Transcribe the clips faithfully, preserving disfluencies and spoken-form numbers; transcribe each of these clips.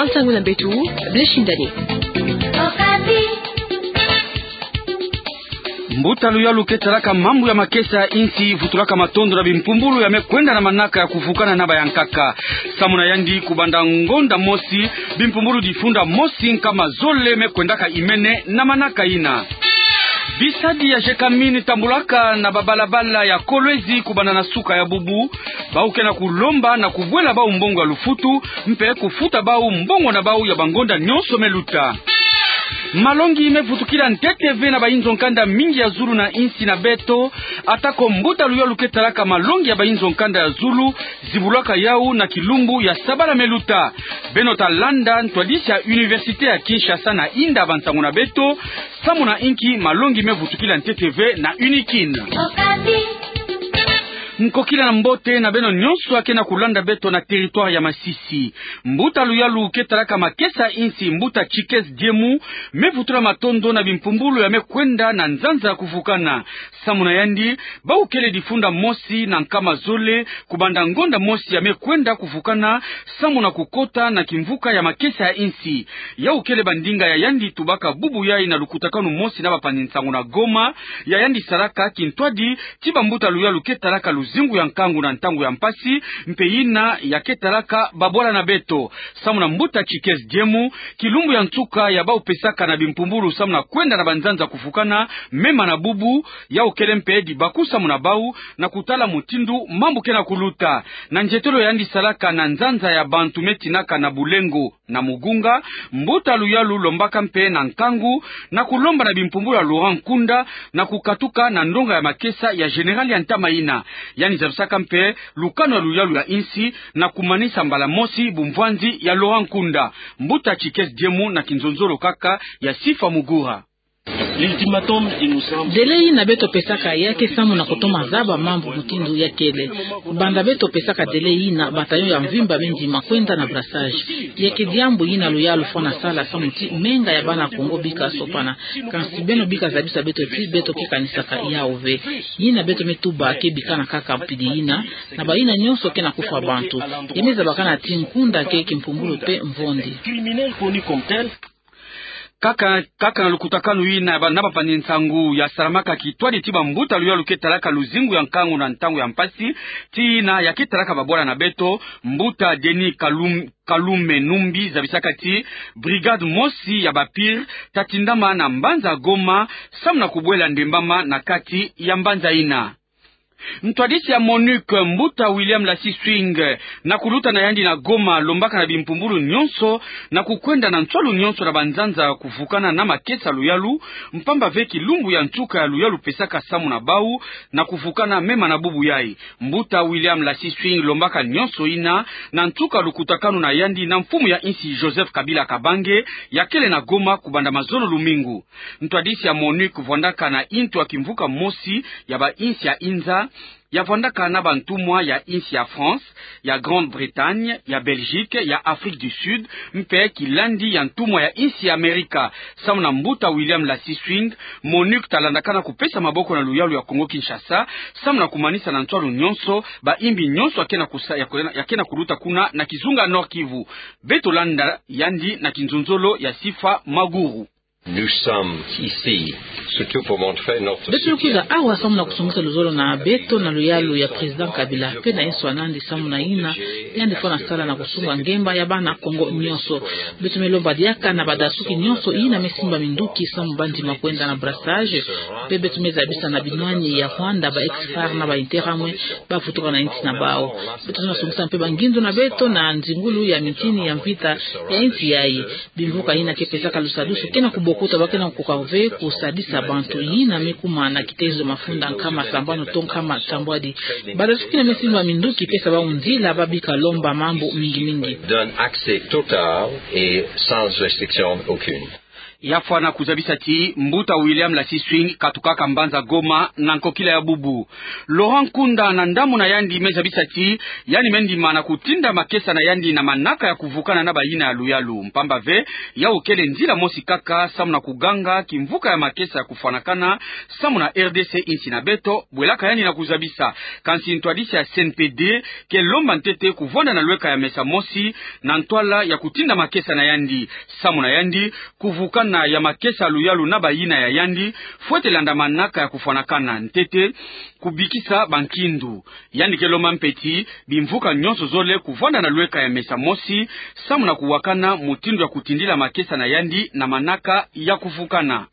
Nsangu na beto, Blaise Shindani. Mbuta luyalu ke talaka mambu ya makesa ya insi vutulaka matondo na bimpumbulu ya me kwenda na manaka ya kuvukana na bayankaka. Samu na yandi, kubanda ngonda mosi, bimpumbulu difunda mosi nkama zole me kwendaka imene na manaka ina. Bisadi ya Gécamines tambulaka na babalabala ya Kolwezi kubanda na suka ya bubu. Bau ke na kulomba na kubwela bau mbongo ya lufutu, mpe kufuta bau mbongo na bau ya bangonda nyonso me luta. Malongi me vutukila ntete ve na bayinzo nkanda mingi ya zulu na insi na beto, atako mbuta luyalu ke talaka malongi ya bayinzo nkanda ya zulu, zibulaka yau na kilumbu ya sabala me luta. Beno ta landa ntwadisi ya Université ya Kinshasa na inda bansangu na beto, samu na inki malongi me vutukila ntete ve na UNIKIN. Nkokila na mbote na beno nyonso ya ke na kulanda beto na territoire ya Masisi. Mbuta luyalu ke talaka makesa ya insi, mbuta Tshikezi Diemu, me vutula matondo na bimpumbulu ya me kwenda na nzanza ya kuvukana. Samu na yandi, bau kele difunda mosi na nkama zole, kubanda ngonda mosi ya me kwenda kuvukana, samu na kukota na kimvuka ya makesa ya insi. Yau kele bandinga ya yandi tubaka bubu yai na lukutakanu mosi na bapanzi nsangu na Goma, ya yandi salaka kintwadi ti bambuta luyalu ke talaka luzingu ya nkangu na ntangu ya mpasi, mpe ina ya ke talaka babwala na beto. Samu na mbuta Tshikezi Diemu, kilumbu ya nsuka ya bau pesaka na bimpumbulu samu na kwenda na banzanza kuvukana, mema na bubu, yau kele mpe dibaku samu na bau, na kutala mutindu mambu ke na kuluta. Na nzietolo ya yandi salaka na nzanza ya bantu me tinaka na Bulengo na Mugunga, mbuta luyalu lombaka mpe na nkangu, na kulomba na bimpumbulu ya Laurent Nkunda, na kukatuka na ndonga ya makesa ya général ya ntama ina. Yandi zabisaka mpe lukanu ya luyalu ya insi, na kumanisa mbala mosi bumvwanzi ya Laurent Nkunda. Mbuta Tshikezi Diemu na kinzonzolo kaka ya Sifa Mugura. L'ultimatum, il nous semble... Délai ina beto pesaka ya ke samu na kutoma zaba mambu mutindu ya kele. Banda beto pesaka délai ina, bataillon ya mvimba me ndima kwenda na brassage. Ya ke diambu ina luyalu fwana sala samu ti menga ya bana Kongo bika sopana. Kansi beno bika zabisa beto ti beto ke kanisaka yau ve. Ina beto me tuba ke bikana kaka mpidi ina, na bayina nyonso ke na kufwa bantu. Ya me zabakana ti Nkunda ke kimpumbulu mpe mvondi. Criminel connu comme tel. Kaka, kaka na lukutakanu ina ba, na bapanzi nsangu ya salamaka kintwadi ti bambuta luyalu ke talaka luzingu ya nkangu na ntangu ya mpasi, ti ina ya ke talaka babwala na beto, mbuta Denis Kalum-, Kalume Numbi zabisaka ti brigade mosi ya ba PIR ta tindama na mbanza Goma, samu na kubwela ndembama na kati ya mbanza ina. Ntwadisi ya MONUC, mbuta William Lassie Swing, na kuluta na yandi na Goma, lombaka na bimpumbulu nyonso na kukwenda na nswalu nyonso na banzanza kuvukana na makesa luyalu, mpamba ve kilumbu ya nsuka ya luyalu pesaka samu na bau na kuvukana mema na bubu yai. Mbuta William Lassie Swing lombaka nyonso ina na nsuka lukutakanu na yandi na mfumu ya insi Joseph Kabila Kabange, ya kele na Goma kubanda mazono lumingu. Ntwadisi ya MONUC vwandaka na intu ya kimvuka mosi ya ba insi ya inza, ya vwandaka na bantumwa ya insi ya France, ya Grande-Bretagne, ya Belgique, ya Afrique du Sud, mpe kilandi ya ntumwa ya insi ya Amerika. Samu na mbuta William Lassie Swing, MONUC ta landakana kupesa maboko na luyalu ya Kongo Kinshasa, samu na kumanisa na nswalu nyonso ba imbi nyonso ya ke na kusa-, ya ke na, ya ke na kuluta kuna na kizunga Nord-Kivu. Beto landa yandi na kinzonzolo ya Sifa Maguru. Nous sommes ici, surtout pour montrer notre... Beto kwiza awa samu na kusongisa luzolo na beto na luyalu ya Président Kabila, mpe na yinso ya nandi samu na ina yandi fwana sala na kusunga ngemba ya bana Kongo nyonso. Beto me lomba diaka na badasuki nyonso ina me simba minduki samu ba ndima kwenda na brassage, mpe beto me zabisa na binwani ya Rwanda, ba ex-FAR na ba Interahamwe ba vutuka na insi na bau. Beto na songisa mpe bangindu na beto na nzingulu ya mintini ya mvita ya insi yai. Bimvuka ina ke pesaka lusadusu ke na kubokuta, ba ke na kukoka ve kusadisa bantu ina me kuma na kitezo mafunda nkama sambanu to nkama sambwadi. Badasuki ina me simba minduki, pesa bau nzila ba bika lomba mambu mingi mingi. Donne accès total et sans restriction aucune. Ya fwana kuzabisa ti mbuta William Lasiswing katukaka mbanza Goma na nkokila ya bubu. Laurent Nkunda na ndambu na yandi me zabisa ti yandi me ndima na kutinda makesa na yandi na manaka ya kuvukana na bayina ya luyalu. Mpamba ve, yawu kele nzila mosi kaka samu na kuganga kimvuka ya makesa ya kufwanakana samu na R D C, insi na beto, bwelaka yandi na kuzabisa. Kansi ntwadisi ya C N P D ke lomba ntete kuvwanda na lweka ya mesa mosi na ntwala ya kutinda makesa na yandi. Samu na yandi, kuvukana ya makesa ya luyalu na bayina ya yandi fwete landa manaka ya kufwanakana ntete, kubikisa bankindu. Yandi ke lomba mpe ti bimvuka nyonso zole kuvwanda na lweka ya mesa mosi samu na kuwakana mutindu ya kutindila makesa na yandi na manaka ya kuvukana.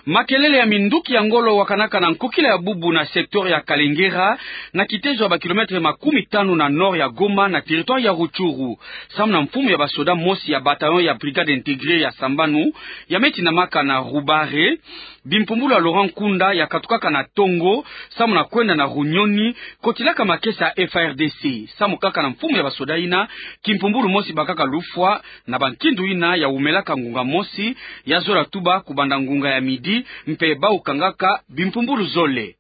Makelele ya minduki ya ngolo wakanaka na nkokila ya bubu na secteur ya Kalengera, na kitezo ya ba kilomètre makumi tanu na nord ya Goma, na territoire ya Rutshuru. Samu na mfumu ya basoda mosi ya bataillon ya brigade intégrée ya Sambanu, ya me tindamaka na Rubare, bimpumbulu ya Laurent Nkunda ya katukaka na Tongo samu na kwenda na Runyoni, kotilaka makesa ya F A R D C. Samu kaka na mfumu ya basoda yina, kimpumbulu mosi bakaka lufwa na bankindu yina ya wumelaka ngunga mosi, ya zola tuba kubanda ngunga ya midi, mpe bawu kangaka bimpumbulu zole.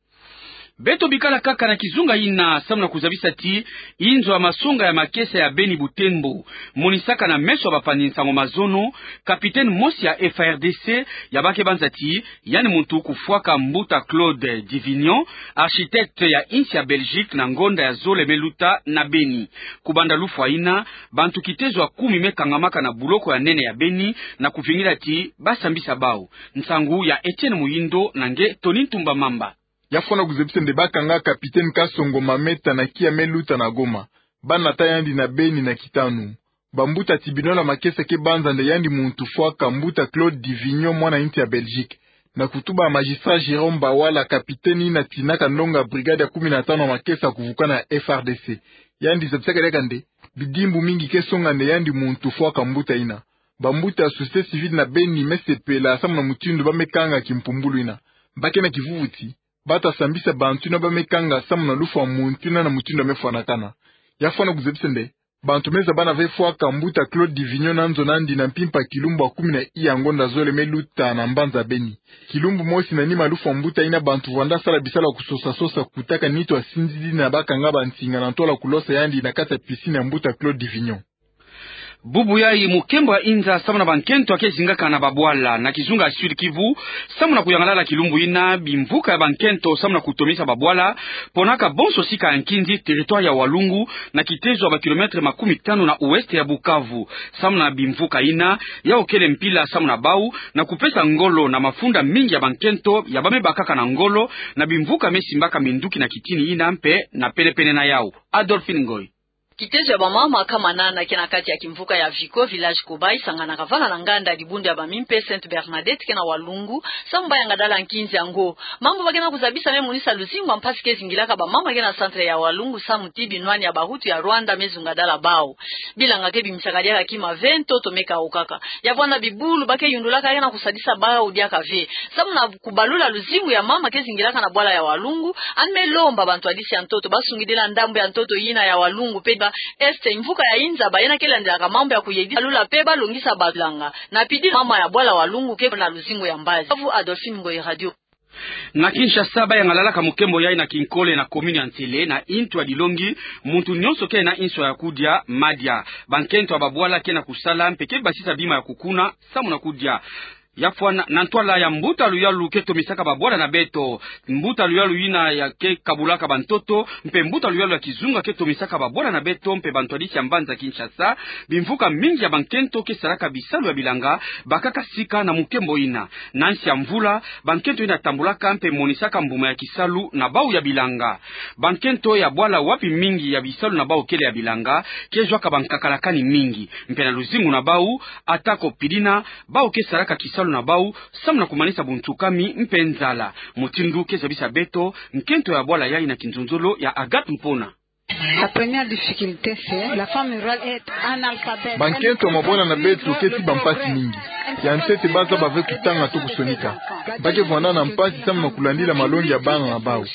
Beto bikala kaka na kizunga yina samu na kuzabisa ti inzo ya masonga ya makesa ya Beni Butembo monisaka na meso ya bapanzi nsangu mazono capitaine mosi ya F A R D C, ya ba ke banza ti yandi muntu kufwaka mbuta Claude Divignon, architecte ya insi ya Belgique, na ngonda ya zole me luta na Beni. Kubanda lufwa yina, bantu kitezo ya kumi me kangamaka na buloko ya nene ya Beni na kuvingila ti basambisa bawu. Nsangu ya Etienne Muyindo na nge Tony Ntumba Mamba. Ya fwana kuzabisa nde bakanga capitaine Kasongo Mameta na kia me luta na Goma. Banata yandi na Beni na kitanu. Bambuta ti binola makesa ke banza nde yandi muntu fwaka mbuta Claude Divignon, mwana insi ya Belgique, na kutuba magistrat Jérôme Bawala, capitaine yina tinaka ndonga brigade ya kumi na tanu ya makesa kuvukana ya F A R D C. Yandi zabisaka diaka nde bidimbu mingi ke songa nde yandi muntu fwaka mbuta yina. Bambuta ya société civile na Beni me sepela samu na mutindu ba me kanga kimpumbulu yina. Ba ke na kivuvu ti bata sambisa bantu yina ba me kanga samu na lufwa muntu yina na mutindu ya me fwanakana. Ya fwana kuzabisa nde bantu me zabana ve fwaka mbuta Claude Divignon na nzo nandi na mpimpa kilumbu ya kumi na iya ngonda zole me luta na mbanza Beni. Kilumbu mosi na nima lufwa mbuta yina, bantu vwanda sala bisalu ya kusosa-sosa kutaka nitu ya sinzidi na bakanga bansinga na ntwala kulosa yandi na kati ya piscine ya mbuta Claude Divignon. Bubu yayi mukembo ya inza samu na bankento ya ke zingaka na babwala na kizunga ya Sud-Kivu, samu na kuyangalala kilumbu yina bimvuka ya bankento samu na kutomisa babwala, ponaka bonso sika ya nkinzi, territoire ya Walungu, na kitezo ya ba kilomètre makumi tanu na ouest ya Bukavu. Samu na bimvuka yina, yawu kele mpila samu na bawu na kupesa ngolo na mafunda mingi ya bankento ya ba me bakaka na ngolo na bimvuka me simbaka minduki na kitini yina mpe na pene-pene na yawu. Adolphine Ngoy. Kitezo ya bamama Kamanana ke na kati ya kimvuka ya Vico, village Kobayi, sanganaka vana na nganda ya dibundu ya bamimpe Sainte Bernadette ke na Walungu, samu ba yangadala nkinzi yango. Mambu ba ke na kuzabisa me monisa luzingu ya mpasi ke zingilaka bamama ke na centre ya Walungu, samu ti binwani ya bahutu ya Rwanda me zungadala bawu. Bilanga ke bimisaka diaka kima ve, ntoto me kawukaka. Ya vwanda bibulu ba ke yundulaka ke na kusadisa bawu diaka ve. Samu na kubalula luzingu ya mama ke zingilaka na bwala ya Walungu, yandi me lomba bantwadisi ya ntoto ba sungidila ndambu ya ntoto yina ya Walungu mpe ba Est, mvuka ya inza, bayina ke landilaka mambu ya kuyedi, balula mpe balongisa bilanga. Na pidi mama ya bwala Walungu ke na luzingu ya mbazi. Bukavu, Adolphine Ngoyi, Radio. Na Kinshasa, ba yangalalaka mukembo yayi na kinkole na commune ya Nsele, na intu ya dilongi, muntu nyonso ke na inso ya kudia, madia. Bankento ya babwala ke na kusala mpe ke basisa bima ya kukuna samu na kudia. Ya fwana, na ntwala ya mbuta luyalu ke tomisaka babwala na beto, mbuta luyalu yina ya ke kabulaka bantoto, mpe mbuta luyalu ya kizunga ke tomisaka babwala na beto mpe bantwadisi ya mbanza Kinshasa, bimvuka mingi ya bankento ke salaka bisalu ya bilanga, bakaka sika na mukembo yina. Na nsi ya mvula, bankento yina tambulaka mpe monisaka mbuma ya kisalu na bawu ya bilanga. Bankento ya bwala wapi mingi ya bisalu na bawu kele ya bilanga, ke zwaka bankakalakani mingi. Mpe na luzingu na bawu, atako pidina, bawu ke salaka kisalu na bawu samu na kumanisa buntsukami mpe nzala. Mutindu ke zabisa beto nkento ya bwala yayi na kinzonzolo ya Agathe Mpona. La première difficulté, c'est la femme rurale est analphabète. Bankento ya mabwala na beto ke ti bampasi mingi. Ya ntete ba zaba ve kutanga to kusonika. Ba ke vwanda na mpasi samu na kulandila malongi ya bana na bawu.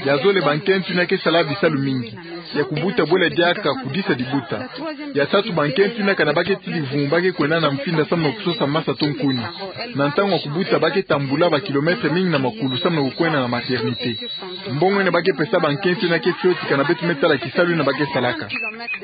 Ya zole bankento yina ke sala bisalu mingi. ya kubuta bwela diaka kudisa dibuta. Ya tatu, bankento ina kana ba ke tidi vumu ba ke kwenda na mfinda samu na kusosa masa to nkuni. Na ntangu ya kubuta ba ke tambula ba kilomètre mingi na makulu samu na kukwenda na maternité. Mbongo ina ba ke pesa bankento ina ke fioti kana beto me tala kisalu ina ba ke salaka.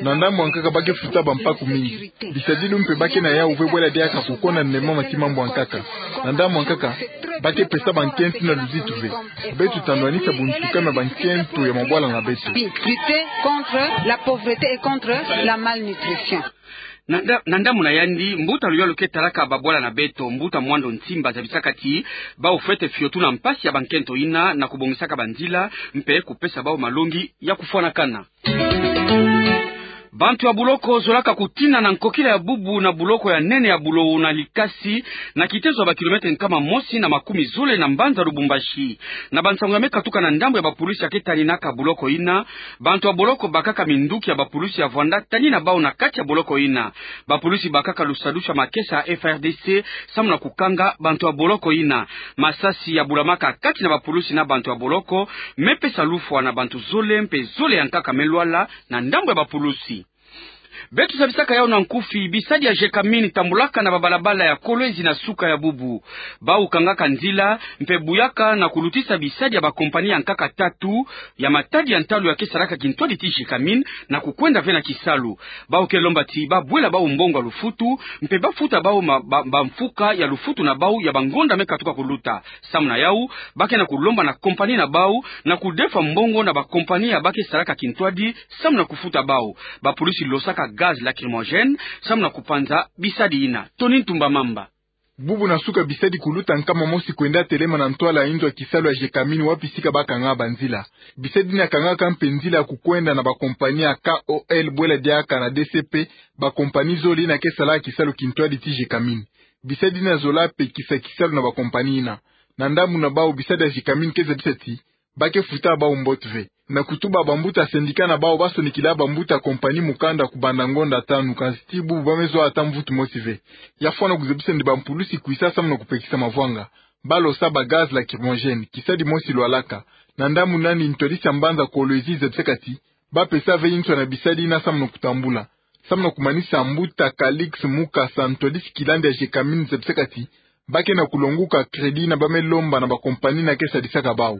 Na ndambu ya nkaka ba ke futa bampaku mingi. Bisadilu mpe ba ke na yau ve bwela diaka kukonda nde mama ti mambu ya nkaka. Na ndambu ya nkaka, ba ke pesa bankento ina luzitu ve. Beto tandwanisa bunsuka mia bankento ya mabwala na beto. Lutter contre la pauvreté et contre la malnutrition. Na nda-, na ndambu na yandi, mbuta luyalu ke talaka babwala na beto, mbuta Mwando Nsimba, zabisaka ti bau fwete fiotuna mpasi ya bankento ina na kubongisaka banzila, mpe kupesa bau malongi ya kufwanakana. Bantu ya buloko zolaka kutina na nkokila ya bubu na buloko ya nene ya Bulowo na Likasi, na kitezo ya ba kilomètre nkama mosi na makumi zole na mbanza Lubumbashi. Na bansangu ya me katuka na ndambu ya bapulusi ya ke taninaka buloko ina, bantu ya boloko bakaka minduki ya bapulusi ya vwanda tanina bau na kati ya boloko ina. Bapulusi bakaka lusadusu ya makesa ya F A R D C samu na kukanga bantu ya boloko ina. Masasi ya bulamaka kati na bapulusi na bantu ya boloko me pesa lufwa na bantu zole mpe zole ya nkaka me lwala na ndambu ya bapulusi. Beto zabisaka yau na nkufi, bisadi ya Gécamines tambulaka na babalabala ya Kolwezi na suka ya bubu. Bau kangaka nzila, mpe buyaka na kulutisa bisadi ya bakompani ya nkaka tatu ya matadi ya ntalu ya ke salaka kintwadi ti Gécamines na kukwenda ve na kisalu. Bau ke lomba ti babwela bau mbongo ya lufutu, mpe bafuta bau ma-, ba-, bamfuka ya lufutu na bau ya bangonda me katuka kuluta. Samu na yau, ba ke na kulomba na kompani na bau na kudefwa mbongo na bakompani ya ba ke salaka kintwadi samu na kufuta bau. Bapulusi losaka gaz lacrymogène samu na kupanza bisadi ina. Tony Ntumba Mamba. Bubu na suka bisadi kuluta nkama mosi kwenda telema na ntwala ya inzo ya kisalu ya Gécamines wapi sika ba kanga banzila. Bisadi ina kangaka mpe nzila ya kukwenda na bakompani ya K O L bwela diaka na D C P, bakompani zole ina ke salaka kisalu kintwadi ti Gécamines. Bisadi ina zola pekisa kisalu na bakompani ina. Na ndambu na bau bisadi ya Gécamines ke zabisa ti ba ke futa bau mbote ve. Na kutuba bambuta syndicat na bau ba sonikila bambuta kompani mukanda kubanda ngonda tanu, kansi ti bubu ba me zwa ata mvutu mosi ve. Ya fwana kuzabisa nde bampulusi kwisa samu na kupekisa mavwanga. Ba losa ba gaz lacrymogène, kisadi mosi lwalaka. Na ndambu nani ntwadisi ya mbanza Kolwezi zabisaka ti ba pesa ve inzo na bisadi ina samu na kutambula. Samu na kumanisa, mbuta Calix Mukasa, ntwadisi kilandi ya Gécamines zabisaka ti ba ke na kulonguka crédit ina ba me lomba na bakompani ina ke sadisaka bau.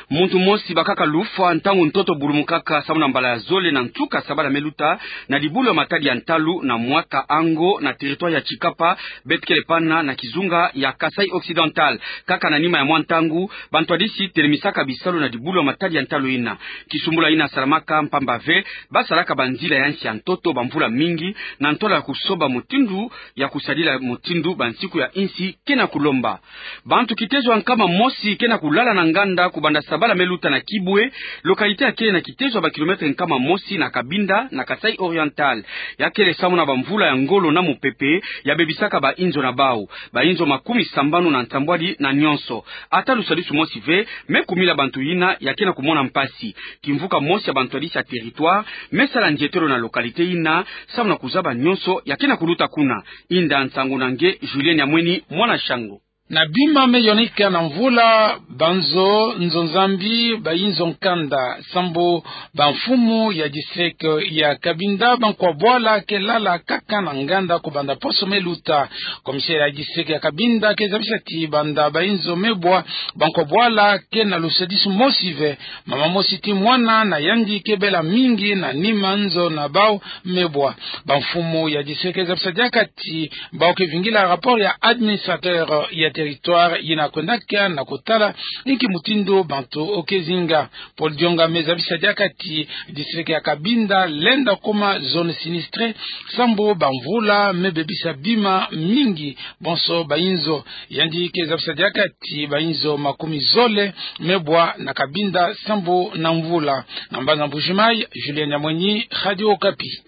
Muntu mosi bakaka lufwa ntangu ntoto bulumukaka samu na mbala ya zole na nsuka sabala me luta na dibulu ya matadi ya ntalu na Mwaka Ango na territoire ya Tshikapa, beto kele pana na kizunga ya Kasaï Occidental. Kaka na nima ya mwa ntangu, bantwadisi telemisaka bisalu na dibulu ya matadi ya ntalu ina. Kisumbula ina salamaka mpamba ve ba salaka banzila ya nsi ya ntoto bamvula mingi na ntwala ya kusoba mutindu ya kusadila mutindu bansiku ya insi ke na kulomba. Bantu kitezo ya nkama mosi ke na kulala na nganda kubanda sabala me luta na Kibwe, localité ya kele na kitezo ya ba kilomètre nkama mosi na Cabinda na Kasaï Oriental. Ya kele samu na bamvula ya ngolo na mupepe ya bebisaka bainzo na bau. Bainzo makumi sambanu na nsambwadi na nyonso. Ata lusadisu mosi ve me kumila bantu ina ya ke na kumona mpasi. Kimvuka mosi ya bantwadisi ya territoire me sala ndietelo na localité ina samu na kuzaba nyonso ya ke na kuluta kuna. Inda nsangu na nge Julien Nyamweni, mwana Shango. Na bima me yonika na mvula, banzo nzonzambi, bainzo nkanda, sambu bamfumu ya district ya Cabinda, bankwa bwala ke lala kaka na nganda kubanda poso me luta. Commissaire ya district ya Cabinda ke zabisa ti banda bainzo me bwa, bankwa bwala ke na lusadisu mosi ve. Mama mosi ti mwana na yandi ke bela mingi na nima nzo na bau me bwa. Bamfumu ya district ke zabisa diaka ti bau ke vingila rapport ya administrateur ya territoire yina kwendaka na kutala inki mutindu bantu ke zinga. Paul Dionga me zabisa diaka ti district ya Cabinda lenda kuma zone sinistrée sambu bamvula me bebisa bima mingi bonso bainzo. Yandi ke zabisa diaka ti bainzo makumi zole me bwa na Cabinda sambu na mvula. Na mbanza Mbuji-Mayi, Julien Nyamweni, Radio Okapi.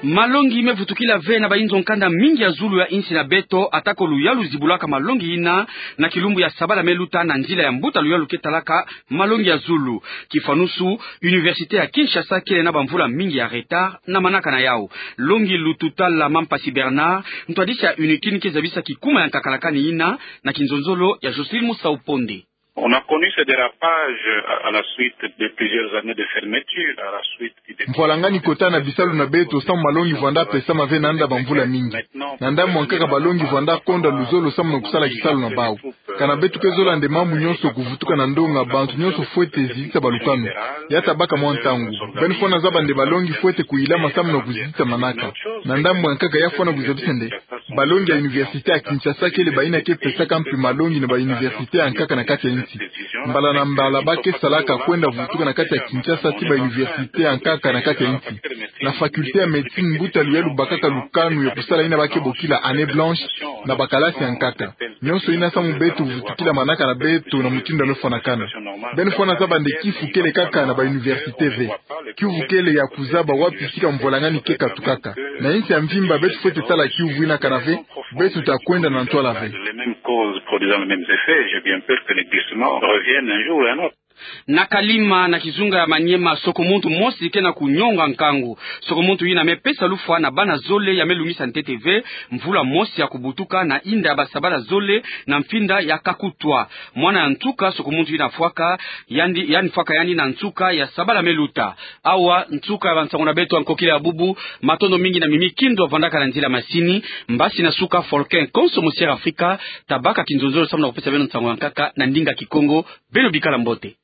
Malongi me vutukila ve na bainzo nkanda mingi ya zulu ya insi na beto, atako luyalu zibulaka malongi ina na kilumbu ya sabala me luta na nzila ya mbuta luyalu ke talaka malongi ya zulu. Kifwanusu, Université ya Kinshasa kele na bamvula mingi ya retard na manaka na yau. Longi Lututala Mampasi Bernard, ntwadisi ya UNIKIN, ke zabisa kikuma ya nkakalakani ina na kinzonzolo ya Jocelyne Musau Ponde. On a connu ce dérapage à la suite de plusieurs années de fermeture, à la suite du dépôt. Mvwalangani kota na bisalu na beto samu malongi vwanda pesama ve nanda bamvula mingi. Na ndambu ya nkaka balongi vwanda konda luzolo samu na kusala kisalu na bau. Kana beto ke zola nde mambu nyonso kuvutuka na ndonga, bantu nyonso fwete zizitisa balukanu. Ya tabaka mwa ntangu. Beno fwana zaba nde balongi fwete kuhilama samu na kuzizitisa manaka. Na ndambu ya nkaka ya fwana kuzabisa nde balongi ya université ya Kinshasa kele bayina ke pesaka mpe malongi na ba université ya nkaka na kati ya nsi. Mbala na mbala ba ke salaka kwenda vutuka na kati ya Kinshasa ti ba université ya nkaka na kati ya nsi. Na faculté ya médecine, mbuta luyalu bakaka lukanu ya kusala yina ba ke bokila année blanche na bakalasi ya nkaka. Nyonso yina samu beto vutukila manaka na beto na mutindu ya me fwanakana. Beno fwana zaba nde kifu kele kaka na ba université ve. Kiuvu kele ya kuzaba wapi sika mvwalangani ke katukaka. Na insi ya mvimba beto fwete tala kiuvu yina kana ve, beto ta kwenda na ntwala ve. Les mêmes causes produisant les mêmes effets, j'ai bien peur que les glissements reviennent un jour ou un autre. Na Kalima, na kizunga ya Maniema, sokomuntu mosi ke na kunyonga nkangu. Sokomuntu yina me pesa lufwa na bana zole ya me lungisa ntete ve mvula mosi ya kubutuka na inda ya basabala zole na mfinda ya Kakutwa. Mwana ya nsuka sokomuntu yina fwaka yandi, yandi fwaka yandi na nsuka ya sabala me luta. Awa nsuka ya bansango na beto ya nkokila ya bubu. Matondo mingi na Mimi Kindo avandaka na nzila masini. Mbasi na suka Folkin Konso, Musière Afrika, tabaka kinzonzolo samu na kupesa beno nsango ya nkaka na ndinga Kikongo. Beno bikala mbote.